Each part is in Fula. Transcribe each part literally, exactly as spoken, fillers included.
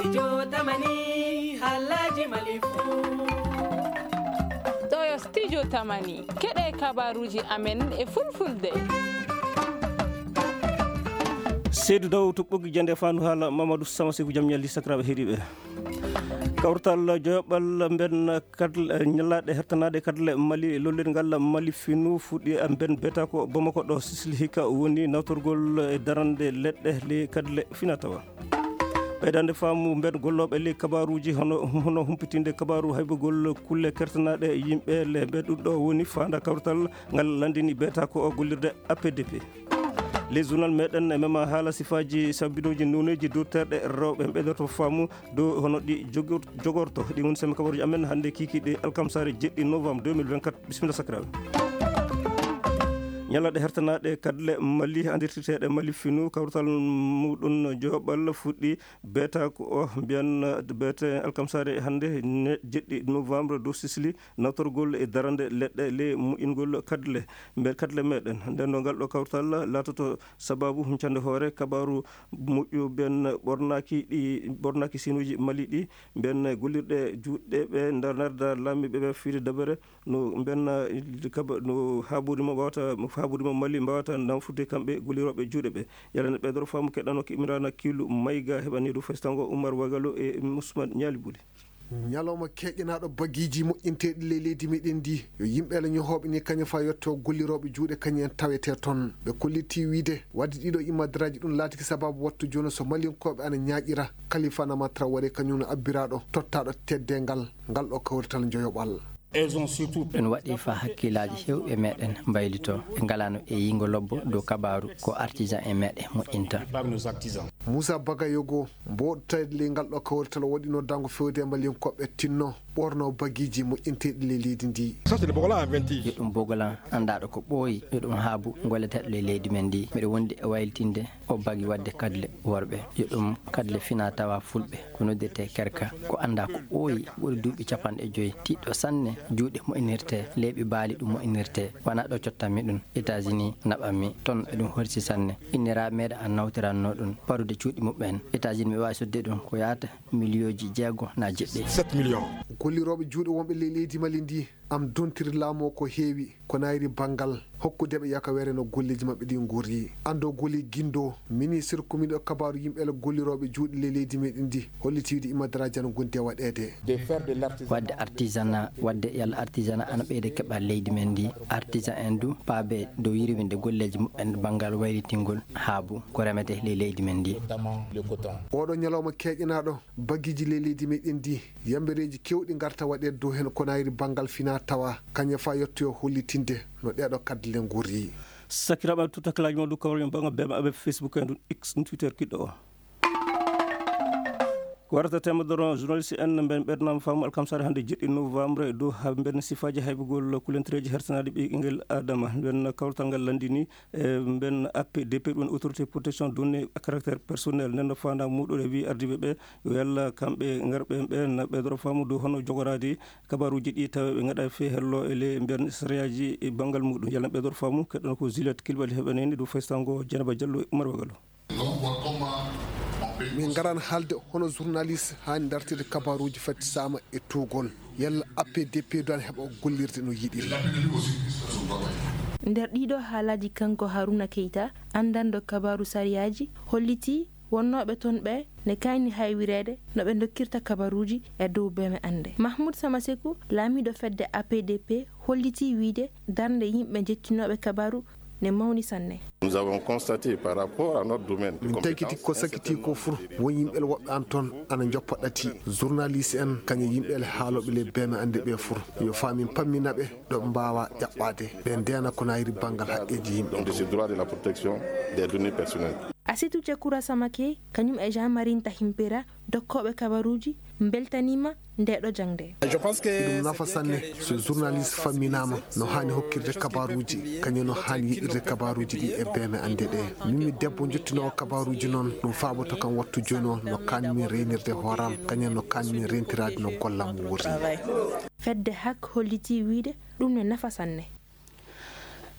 Studio Tamani, haalaaji Mali fuu. Ɗo yo Studio Tamani, keɗe kabaruuji amen e fulfulde. Seydou Daw to ɓoggi jande fandu haala Mamadou Sama Sekou, jam ñalli sakiraaɓe heɗiiɓe. Kawtal joyoɓal mben kadle, ñalaaɗe hertanaaɗe kadle Mali, lollirgal Mali finu fuɗɗi mben beta ko Bamako ɗo Sisili hikka woni nawtorgol e darande leɗɗe le kadle fina tawa. Ɓeydande faamu mben gollooɓe ley kabaaruuji hono, hono humpitinde kabaaru haybugol kulle kertanaaɗe yimɓe le mben ɗum ɗo woni faanda kawtal ngal landini beta ko o gollirde A P D P. Les journal meɗen e mema haala sifaaji sabbidooji nooneeji duurterɗe rewɓe ɓeydoto faamu dow hono ɗi jogor-, jogorto. Ɗi woni semme kabaruuji amen hannde kiikiiɗe alkamsaare jeɗɗi novembre deux mille vingt-quatre. Bisimilla sakiraaɓe. Ñalaaɗe hertanaaɗe kadle Mali, andirtirteeɗe Mali finu, kawtal muɗum joyoɓal fuɗɗi beta ko o mbiyan bete alkamsaare hannde ne jeɗɗi novembre dow Sisili, nawtorgol e darande leɗɗe le moƴƴingol kadle, mbe kadle meɗen. Nden no ngal ɗo kawtal laatoto sababu huncande hoore kabaaru moƴƴu ben ɓornaaki ɗi, ɓornaaki sinuuji Mali ɗi, ben gollirɗe juuɗe ɓe nder narda laamiiɓe ɓe fiide dabere no ben, eh, kaba-, no haaburi mo wawata, haaburi mo Mali mbawata nawfude kamɓe gollirooɓe juuɗe ɓe. Yalla ne ɓeydoro faamu keɗano ki Imrana Kilu Mayga heɓani ɗum festango Umar Wagalo e Ousmane Ñaali Buli. Ñalawma keƴanaaɗo bagiiji moƴƴinteeɗi ley leydi meɗen ndi, yo yimɓe Alla ñohooɓe ni kañum fa yetto gollirooɓe juuɗe kañum en tawetee toon. Ɓe kolliti wiide, wadde ɗiɗo imadaraaji ɗum laatiki sababu wattu jooni so Malinkooɓe ana ñaaƴira Kalifa Nama Traoré kañum no abbiraaɗo tottaaɗo teddeengal ngal ɗo kawrital njoyoɓal. Elles ont surtout Ɗum waɗi fa hakkillaaji heewɓe meɗen mbaylito. Ɓe ngalaano e yiingo lobbo dow kabaaru ko artisan en meɗen moƴƴinta. Parmi nos artisans. Moussa Bagayogo, mboɗtayde ley ngal ɗo kawrital waɗino dango fewde e Malinkooɓe tinno ɓorno bagiiji moƴƴinteeɗi ley leydi ndi. Ça, c'est le Bogolan en vingt. Yo ɗum Bogolan anndaaɗo ko ɓooyi, yo ɗum haabu golleteeɗo ley leydi men ndi. Miɗo wondi e waylitinde o bagi waɗde kadle worɓe. Yo ɗum kadle fina tawa fulɓe, ko noddirtee kerka, ko anndaa ko ɓooyi, ɓuri duuɓi capanɗe joyi, tiiɗɗo sanne, juuɗe moƴƴinirtee, leeɓi baali ɗum moƴƴinirtee. Wonaa ɗo cottanmi ɗum, États-Unis naɓanmi, toon e ɗum horsi sanne. Inniraaɓe meɗen an nawtiranno ɗum, parude cuuɗi muɓɓen. États-Unis mi waawi sodde ɗum ko yaata miliyooji jeego na jeɗɗi. Sept millions. Gollirooɓe juuɗe wonɓe ley leydi Mali ndi, am dontiri laamu o ko heewi, ko nayri banngal hokkude ɓe yakawere no golleeji maɓɓe ɗi ngorri. Anndo goli Gindo, ministre komiɗo kabaaru yimɓe le gollirooɓe juuɗe ley leydi meɗen ndi, holliti wiide imadaraaji ana ngondi e waɗeede. De faire de l'artisanat. Waɗde artisanat, waɗde yalla artisanat ana ɓeyda keɓal leydi men ndi. Artisan en du paabe dow yirwinde golleeji muɓɓen banngal waylitingol haabu ko remete ley leydi men ndi. Notamment le coton. Oɗo ñalawma keƴanaaɗo, bagiiji ley leydi meɗen ndi, yambereeji kewɗi ngarta waɗeede dow heen ko nayri banngal fina tawa, kañum fa yettoyo hollitinde no ɗeeɗo kadle ngorri. Sakiraaɓe, tutakalaji mawɗo kawral banngal B M A ɓe Facebook en ɗum X, ɗum Twitter kiɗɗo o. Ko warata temedoro journaliste en mben ɓernama faamu alkamsare hannde jeɗɗi novembre e dow ha mben sifaaji haybugol kulentereeji hersanaaɗi ɓiy ɓinngel Adama. Mben kawrital ngal lanndini e mben A P D P, ɗum autorité protection données à caractère personnel. Nden no faandaare muɗum e wi ardiiɓe ɓe yo yalla kamɓe ngarɓe ɓe na ɓeydoro faamu dow hono jogoraade kabaruuji ɗi tawa ɓe ngaɗa fee hello e le mben sariyaaji e banngal muɗum. Yalla ɓeydoro faamu keɗɗon ko Juliette Kilbali heɓaneni dow faysango Dieynaba Diallo e Umar Wagalo. Min ngaran haalde hono journaliste haani dartide kabaruuji fattisaama e tuugol. Yalla A P D P du ana heɓa gollirde no yiɗiri. Nder ɗiɗo haalaaji, kanko Haruna Keita, anndanɗo kabaaru sariyaaji, hollitii wonnooɓe toon ɓe ne kaayni haywireede no ɓe ndokkirta kabaruuji e dow beeme annde. Mahmoud Samasekou, laamiiɗo fedde A P D P, hollitii wiyde darnde yimɓe jettinooɓe kabaaru ne mawni sanne. Nous avons constaté par rapport à notre domaine de Min tagiti ko compétence, un sakiti certain ko fur nombre de won yimɓe le woɓɓe an toon ana njoppa ɗati. Journaliste en, kañum yimɓe le haalooɓe le beeme annde ɓe fur. Yo faa min pammina ɓe ɗo ɓe mbaawa ƴaɓɓaade. Ɓe ndeena ko nayri banngal haqqeeji yimɓe. Donc de ce droit de la protection des données personnelles. Asitu Cekura Samake, kañum e Jean-Marie Ntahimpera, dokkooɓe kabaruuji, mbeltaniima nde ɗo jaŋde. Ɗum nafa sanne so journaliste famminaama no haani hokkirde kabaruuji, kañum no haani yiɗirde kabaruuji ɗi e beeme annde ɗe. Min mi debbo jottinoowo kabaruuji noon, ɗum faaboto kam wattu jooni o no kaanmi reynirde hooram, kañum no kaanmi rentiraade no gollam wuuri. Fedde hak hollitii wiyde ɗum ne nafa sanne.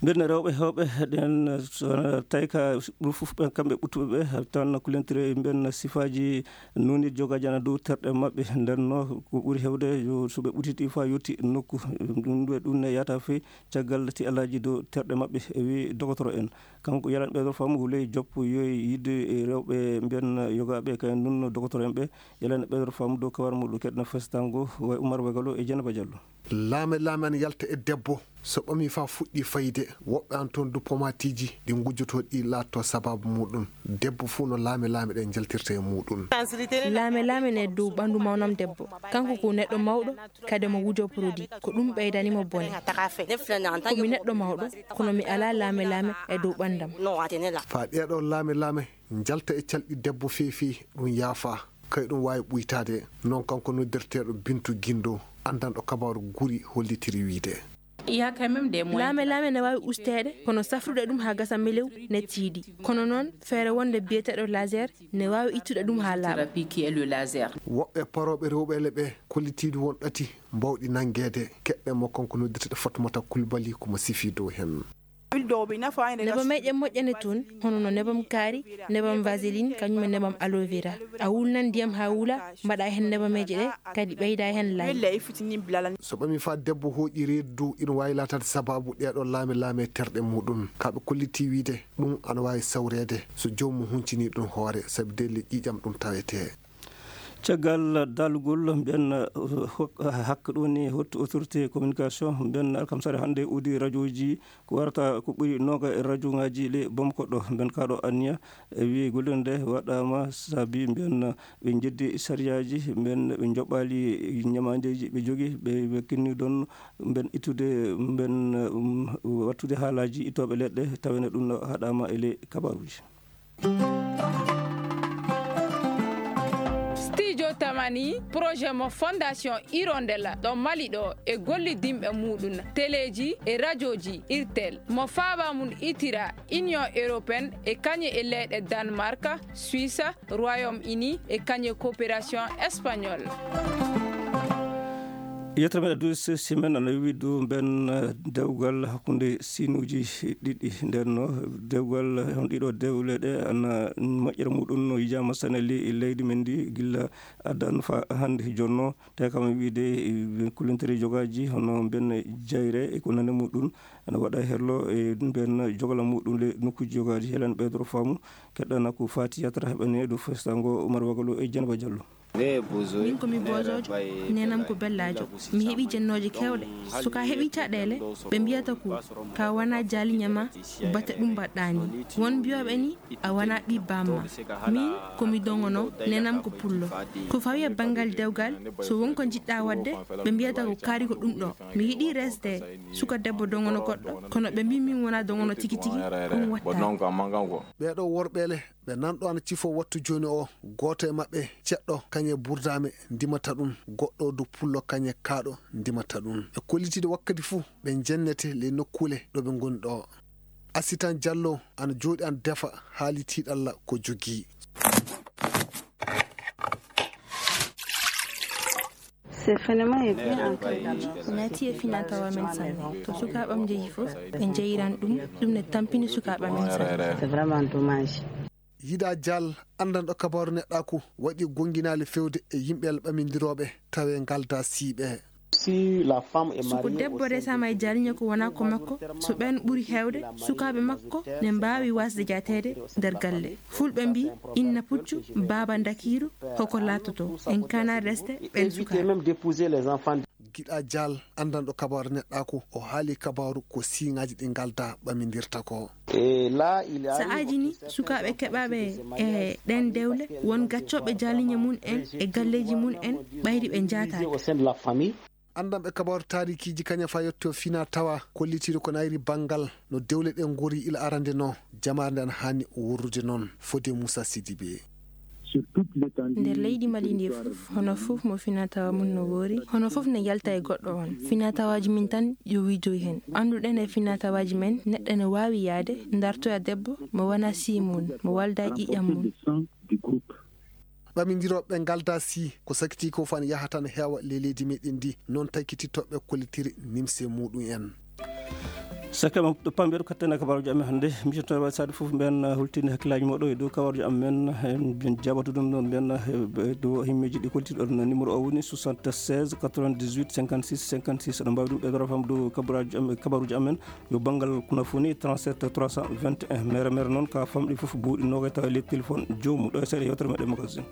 Mbeɗa rewɓe heewɓe ɗen, so tawi ka ɓuri fof ɓen kamɓe ɓuttuɓe ɓe, tan kulentire mbeɗa sifaaji nuuni jogaaji ana dow terɗe maɓɓe. Nden no ko ɓuri heewde yo so ɓe ɓutiti fa yotti nokku, ɗum ɗo ɗum ne yata fe caggal ti alaaji dow terɗe maɓɓe, e wi dogotoro en. Kanko yalan ɓeydo faamu wuley joppo yoy yidde e rewɓe mbeɗa yogaaɓe kay nun dogotoro en ɓe. Yalan ɓeydo faamu dow kawar muɗum keɗna festango way Umar Bagalo e Jenaba Jallo. Laame laame ana yalta e debbo, so ɓami fa fuɗɗi fayde, woɓɓe an toon du pomatiiji ɗi ngujjotoo ɗi laatto sababu muɗum. Debbo fuu no laame laame ɗe njaltirta e muɗum. Laame laame ne dow ɓanndu mawnam debbo. Kanko ko neɗɗo mawɗo, kadi mo wujo produit. Ko ɗum ɓeydani mo bone. Ko mi neɗɗo mawɗo, kono mi alaa laame laame e dow ɓanndam. Fa ɗeeɗo laame laame njalta e calɗi debbo feefi, ɗum yaafa. Kay ɗum waawi ɓuytaade. Noon kanko noddirteeɗo Bintu Gindo, anndanɗo kabaaru guri hollitiri wiyde. Laame laame ne waawi usteede, kono safrude ɗum haa gasa melew ne tiiɗi. Kono noon, feere wonde biyeteeɗo laser ne waawi ittude ɗum haa laaɓa. Woɓɓe parooɓe rewɓe ele ɓe kollitiiɗi won ɗati mbawɗi nanngeede. Keɗɗe mo kanko noddirteeɗo Fatmata Kulbali ko mo sifi dow heen. Nebameeje moƴƴane toon, hono no nebam kaari, nebam vaseline, kañum e nebam aloe vera. A wulnan ndiyam haa wula, mbaɗa heen nebameeje ɗe, kadi ɓeyda heen laay. So ɓami fa debbo hooƴi reedu dow, ina waawi laataade sababu ɗeeɗo laame laame terɗe muɗum. Ka ɓe kolliti wiyde ɗum ana waawi sawreede so joomum huncini ɗum hoore, sabi delle ƴiiƴam ɗum tawetee. Caggal daalugol mbiyan, uh, hok-, hakka ɗo ni hottu autorité communication mbiyan alkamsare hannde udi rajooji ko warata ko ɓuri noga e rajo ngaji le Bamako ɗo. Mbiyan kaɗo anniya e wi golle nde waɗama sabi mbiyan ɓe jeddi sariyaji, mbiyan ɓe joɓɓali ñamandeji ɓe jogi, ɓe, ɓe kinni ɗon mbiyan ittude, mbiyan, um, wattude haalaji ittoɓe leɗɗe tawene ɗum no haɗama e le kabaruji. Studio Tamani, projet mo Fondation Hirondella ɗo Mali ɗo e gollidinɓe muɗum, teleji e rajoji Irtel, mo faaba mum itira Union Européenne e kañe e leyɗe Danemark, Suisse, Royaume-Uni e kañe coopération espagnole. Yettere meɗen douze semaine ana wi dow mben, eh, dewgal hakkunde sinuuji ɗiɗi. Nden no dewgal, eh, hon ɗiɗo dewle ɗe ana moƴƴere muɗum no yijaama sane le-, leydi men ndi gilla addan fa hannde jonno. Te kam wiide, eh, kulintere jogaaji hono mben jayre e ko nande muɗum ana waɗa hello e mben jogala muɗum le nokkuuji jogaaji. Helen ɓeydoro faamu keɗɗana ko faati yatra heɓane dow festango Omar Wagalo e Jenaba Jallo. Min ko mi bozojo, nenam ko bellajo. Mi heɓi jennooje kewɗe. So ka heɓi caɗeele, ɓe mbiyata ko ka wona jaalinya ma, bate ɗum mbaɗɗa ni. Won mbiyoɓe ni, a wona ɓi bamma. Min ko mi dongono, nenam ko pullo. Ko fawi e banngal dewgal, so won ko njiɗɗa waɗde, ɓe mbiyata ko kaari ko ɗum ɗo. Mi yiɗi resde suka debbo dongono goɗɗo, kono ɓe mbi min wona dongono tigi tigi, ɗum watta. Ɓeeɗo worɓe le, ɓe nanɗo ana cifo wattu jooni o, gooto e maɓɓe ceɗɗo kañe burdaame ndimata ɗum, goɗɗo du pullo kañe kaaɗo ndimata ɗum. E kollitiiɗo wakkati fuu ɓe njennete ley nokkuule ɗo ɓe ngoni ɗo. Asitan Jallo ana jooɗi ana defa haali tiiɗalla ko jogii. Naati e finaa tawa men sanne. To sukaaɓam njehi fof, ɓe njeyiran ɗum, ɗum ne tampini sukaaɓam men sanne. Yiɗa Jal, anndanɗo kabaaru neɗɗaaku, waɗi gonnginaali feewde e yimɓe ɓamindirooɓe tawe ngalda siiɓe. Si ko debbo resaama e jaalinya ko wona ko makko, so ɓeen ɓuri heewde, sukaaɓe makko ne mbaawi wasde jaateede nder galle. Fulɓe mbi, inna puccu, baaba ndakiiru, hoko laatoto. En kana resde ɓeen sukaaɓe. Giɗa Jal, anndanɗo kabaaru neɗɗaaku, o haali kabaaru ko siiŋaaji ɗi ngalda ɓamindirta ko. Sa'aaji ni, sukaaɓe keɓaaɓe e ɗeen dewle, won gaccooɓe jaalinya mum en e galleeji mum en, ɓayri ɓe njaataade. Anndanɓe kabaaru taarikiiji kaña fa yetto fina tawa kollitiiɗo ko nayri banngal no dewle ɗe ngori ila arande no, jamaare nde ana haani wurrude noon, fode Moussa Sidibé. Nder leydi Mali ndi fof, hono fof mo finaa tawa mum no woori, hono fof ne yalta e goɗɗo on. Finaa tawaaji min tan yo wiidoy heen. Annduɗen e finaa tawaaji men, neɗɗo ne waawi yahde, dartoya debbo, mo wona sii mum, mo walda e ƴiiƴam mum. Ɓamindirooɓe ngalda sii, ko sakiti ko fan yahata ne heewa ley leydi meɗen ndi, noon taykitittooɓe kollitiri nimse muɗum en. Sakkama ɗo pamɓe ɗo katten e kabaruji amen hannde. Mijotoɓe waɗi saade fof mben hultinde hakkillaaji moɗo e dow kabaruji amen. Mben jaɓata ɗum ɗon mben dow himmeji ɗi koltiɗon. Numéro o woni soixante-seize quatre-vingt-dix-huit cinquante-six cinquante-six. Aɗa mbawi ɗum ɓeydoro fam dow kabaruji amen, kabaruji amen. Yo banngal kuna foni trente-sept trois cent vingt et un. Mere mere noon ka famɗi fof buuɗi nogay tawa e leydi téléphone joomum. Ɗo e seeɗa yewtere meɗen magazine.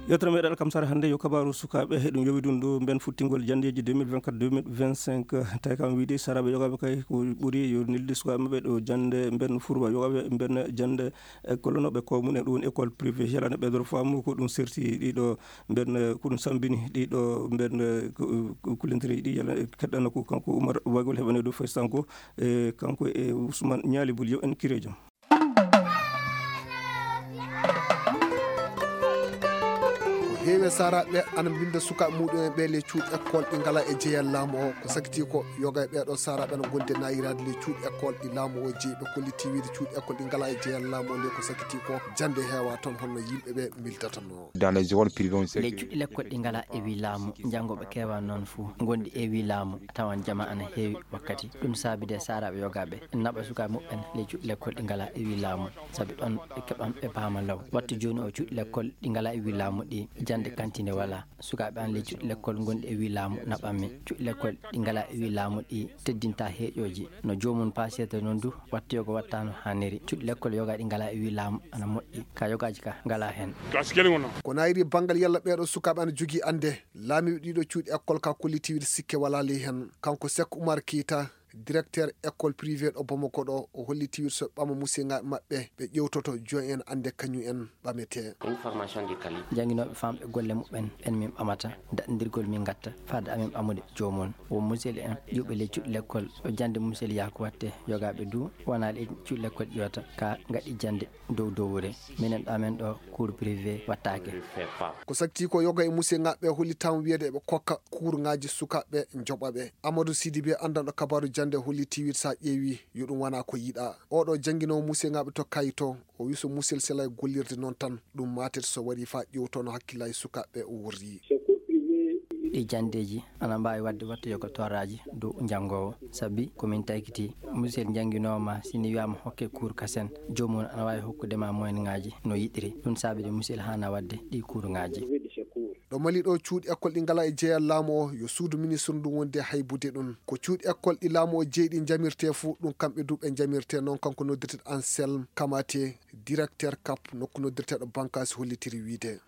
Yewtere meɗen alkamsare hannde yo kabaru sukaaɓe, eɗum yowi ɗum ɗo mben futtingol janndeeji deux mille vingt-quatre deux mille vingt-cinq. Tawi kam wiide saraɓe yogaɓe kay ko ɓuri yo nelde sukaaɓe maɓɓe ɗo jannde mben furba yogaɓe mben jannde école no ɓe ko mum en ɗum école privé yalano ɓe dor faamu ko ɗum serti ɗiɗo mben ko ɗum sambini ɗiɗo mben kulintiri ɗi yala keɗɗana ko kanko Oumar Bagol heɓane ɗo faysanko e kanko e Ousmane Ñaali Bul yo en kirejo. Ko heewi e saaraaɓe ana mbinnda sukaaɓe muɗum en ɓe le cuuɗi école ɗi ngala e jeyal laamu o. Ko sakiti ko yoga e ɓeeɗo saaraaɓe ana gondi e nayiraade le cuuɗi école ɗi laamu o jeyi ɓe kolliti wiide cuuɗi école ɗi ngala e jeyal laamu o nde ko sakiti ko jannde heewa toon honno yimɓe ɓe mildatano. Dans les écoles privées on sait ley cuuɗi lekkol ɗi ngala e wi laamu. Janngooɓe keewa noon fof ngondi e wi laamu. Tawan jama ana heewi wakkati ɗum saabide saaraaɓe yogaaɓe naɓa sukaaɓe muɓɓen ley cuuɗi lekkol ɗi ngala e wi laamu. Sabi ɗon ɓe keɓan ɓe paama law. Wattu jooni o cuuɗi lekkol ɗi ngala e wi laamu ɗi jannde kantine wala. Sukaaɓe an ley cuuɗi lekkol ngonɗi e wi laamu naɓanmi. Cuuɗi lekkol ɗi ngala e wi laamu ɗi teddinta heeƴooji. No joomum paasirta noon du wattu yoga watta no haaniri. Cuuɗi lekkol yoga ɗi ngala e wi laamu ana moƴƴi ka yogaaji ka ngala heen. Ko nayiri banngal yalla ɓeeɗo sukaaɓe ana jogii annde. Laamiiɓe ɗiɗo cuuɗi école ka kollitiiwiri sikke walaa ley heen. Kanko Sek Umar Keyta, directeur école privée ɗo Bamako ɗo, o hollitiiwiri so ɓama musiyaŋaaɓe maɓɓe ɓe ƴeewtoto jooni en annde kañum en ɓametee. Jannginooɓe famɓe golle muɓɓen ɓen min ɓamata daɗndirgol min ngatta faade amin ɓamude joomum. Won musel en ƴuɓe ley cuuɗi lekkol ɗo jannde musel yaha ko watte yogaaɓe du wonaa ley cuuɗi lekkol ƴiwata ka ngaɗi jannde dow dowre. Minen ɗo amen ɗo cours privé wattaake. Ko sakti ko yoga e musiyaŋaaɓe hollitaama wiyeede eɓe kokka kuurŋaaji sukaaɓe njoɓa ɓe. Amadou Sidibe anndanɗo kabaaru jannde holliti wiide so a ƴeewi yo ɗum wona ko yiɗaa. Oɗo jannginoowo musiyaŋaaɓe to Kayto o wi so musel selay gollirde noon tan ɗum matet so warii faa ƴeewtono hakkillaaji sukaaɓe o worri. Ɗi janndeeji ana mbaawi waɗde watta yoga torraaji dow janngoowo. Sabi ko min taykiti musel njannginooma si ni wiyaama hokke kuur kasen joomum ana waawi hokkude ma moyenŋaaji no yiɗiri. Ɗum saabide musel haana waɗde ɗi kuurŋaaji. Ɗo Mali ɗo cuuɗi école ɗi ngala e jeyal laamu o yo suudu ministre ndu wonde haybude ɗum. Ko cuuɗi école ɗi laamu o jeyi ɗi njamirte fuu ɗum kamɓe du ɓe njamirte noon kanko noddirteɗo Anselme Kamate, directeur kap nokku noddirteɗo Bankasi hollitiri wiide.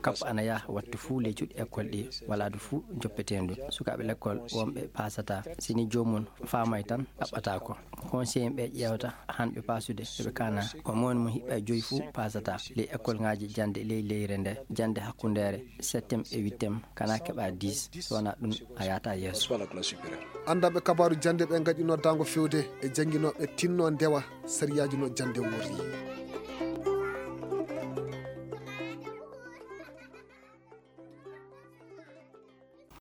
Kap ana yaha wattu fuu ley cuuɗi école ɗi wala du fuu joppeteendu. Sukaaɓe lekkol wonɓe paasata si ni joomum faamay tan ɗaɓɓata ko. Conseil ɓe ƴeewta han ɓe paasude ɓe kana ko mawni mum hiɓɓa e joyi fuu paasata ley école ŋaaji jannde ley leyre nde jannde hakkundeere septième e huitième kana keɓa dix so wona ɗum a yahata yeeso. Anndanɓe kabaaru jannde ɓe ngaɗi noddaango fewde e jannginooɓe tinno ndewa sariyaaji no jannde worri.